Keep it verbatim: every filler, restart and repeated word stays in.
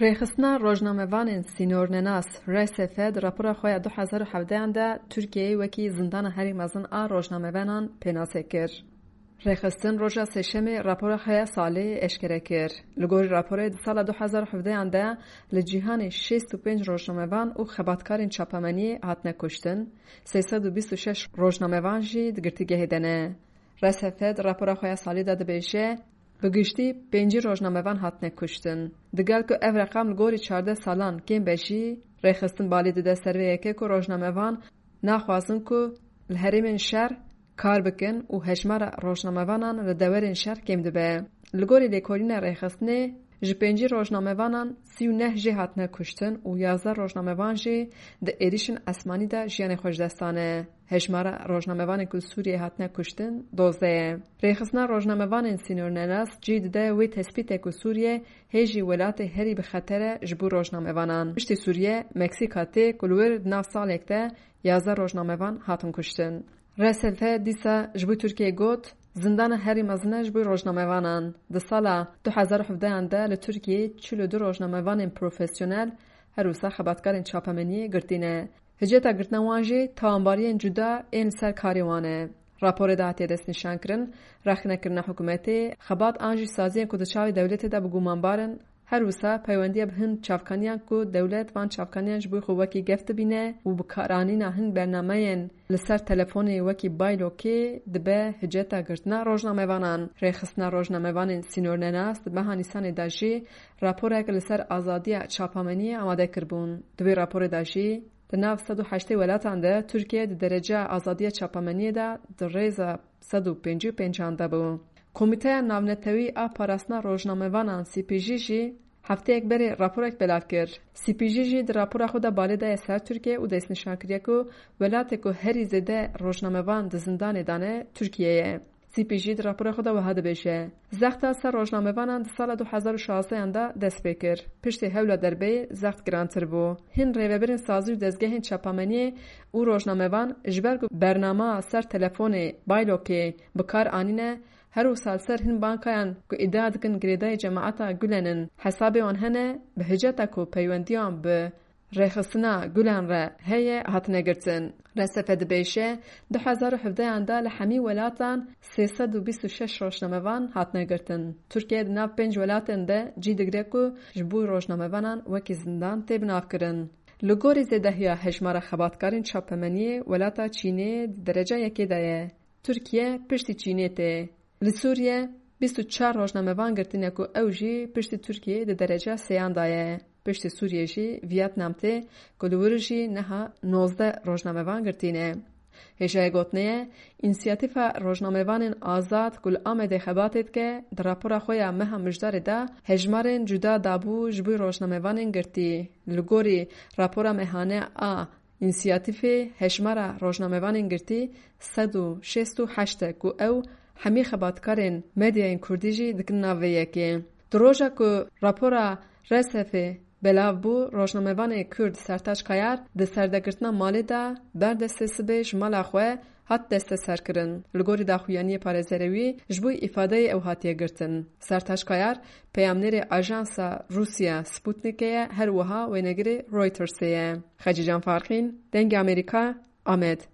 Rêxistina rojnamevanên sînornenas, R S F, di rapora xwe ya du hezar û hevdehan de Tirkiyeyê wekî zindana herî mezin a rojnamevanan pênase kir. Rêxistin roja Sêşemê rapora xwe ya salê eşkere kir. Li gorî raporê, di sala du hezar û hevdehan de li cîhanê şêst û pênc rojnamevan û xebatkarên çapemeniyê hatine kuştin, sê sed û bîst û şeş rojnamevan jî di girtîgehê de ne. R S F di rapora xwe ya salê de dibêje, bi giştî pêncî rojnamevan hatine kuştin. Digel ku ev reqam li gorî çardeh salan kêm be jî, rêxistin balê dide ser vê yekê ku rojnamevan naxwazin ku li herêmên şer kar bikin û hejmara rojnamevanan li dewerên şer kêm dibe. Li gorî lêkolîna rêxistinê, ji pêncî rojnamevanan sî û neh jê hatine kuştin û yazdeh rojnamevan jî di êrîşên esmanî de jiyanê xwe ji dest dane. Hejmara rojnamevanên ku li Sûriyeyê hatine kuştin dozdeh ye. Rêxistina rojnamevanên sînornenas cî dide wê tespîtê ku Sûriye hê jî welatê herî bi xeter e ji bo rojnamevanan. Piştî Sûriye, Meksîka tê ku li wir di nav salek de yazdeh rojnamevan hatin kuştin. R S F dîsa ji bo Tirkiyeyê got, zindana herî mezin e ji bo rojnamevanan. Di sala du hezar û hevdehan de li Tirkiyeyê çil û du rojnamevanên profesyonel, her wisa xebatkarên çapemeniyê girtî ne. Hiceta girtina wan jî tawanbariyên cuda ên li ser karê wan e. Raporê de hatiye destnîşankirin, rexnekirina hikûmetê, xebat an jî saziyên ku di çavê dewletê de bi gumanbar in, her wisa peywendiya bi hin çavkaniyan ku dewlet van çavkaniyan ji bo xwe wekî gef dibîne û bikaranîna hin bernameyên li ser telefonê wekî Baylokê dibe hiceta girtina rojnamevanan. Rêxistina rojnamevanên sînornenas di meha Nîsanê de jî raporek li ser azadiya çapemeniyê amade kiribûn. Di wê raporê de jî, di nav sed û heştê welatan de Tirkiye di dereceya azadiya çapemeniyê de di rêza sed û pêncî û pêncan de bû. Komîteya Navnetewî a Parastina Rojnamevanan, C P J, jî hefteyek berê raporek belav kir. C P J jî di rapora xwe de balê daye ser Tirkiye û destnîşan kiriye ku welatê ku herî zêde rojnamevan di zindanê de ne, Tirkiye ye. C P J di rapora xwe de wiha dibêje, zexta ser rojnamevanan di sala du hezar û şazdehan de dest pê kir. Piştî hewla derbeyê zext girantir bû. Hin rêvebirên sazî û dezgehên çapemeniyê û rojnamevan ji ber ku bernama ser telefonê Baylokê bi kar anîne, her wisa li ser hin bankayan ku îdia dikin girêdayî cemaeta Gulen in, hesabê wan hene, bi hiceta ku peywendiyan bi rêxistina Gulen re heye, hatine girtin. R S F dibêje, du hezar û hevdehan de li hemî welatan sê sed û bîst û şeş rojnamevan hatine girtin. Tirkiye di nav pênc welatên de cî digire ku ji bo rojnamevanan wekî zindan tê binavkirin. Li gorî zêdehiya hejmara xebatkarên çapemeniyê, welata Çînê di dereca yekê de ye. Tirkiye piştî Çînê tê. Li Sûriye bîst û çar rojnamevan girtîne ku ew jî piştî Tirkiyeyê di dereca sêyan de ye. Piştî Sûriye jî Vietnam tê ku li wir jî niha nozdeh rojnamevan girtîne. Hêjayê gotinê ye, Însiyatîfa Rojnamevanên Azad ku li Amedê xebatê dike, di rapora xwe ya meha Mijdarê de hejmarên cuda dabû ji bo rojnamevanên girtî. Li gorî rapora mehane a Însiyatîfê, hejmara rojnamevanên girtî sed û şêst û heşt e ku ew hemî xebatkarên medyayên kurdî jî dikin nav vê yekê. Di roja ku rapora R S F'ê belav bû, rojnamevanê kurd Sertaç Kayar di serdegirtina malê de ber destê sibê ji mala xwe hat desteserkirin. Li gorî daxuyaniyê parêzerê wî, ji bo îfadeyê ew hatiye girtin. Sertaç Kayar peyamnêrê ajansa Rûsya Sputnikê ye, her wiha wênegirê Reutersê ye. Xecîcan Farqîn, Dengê Amerîka, Amed.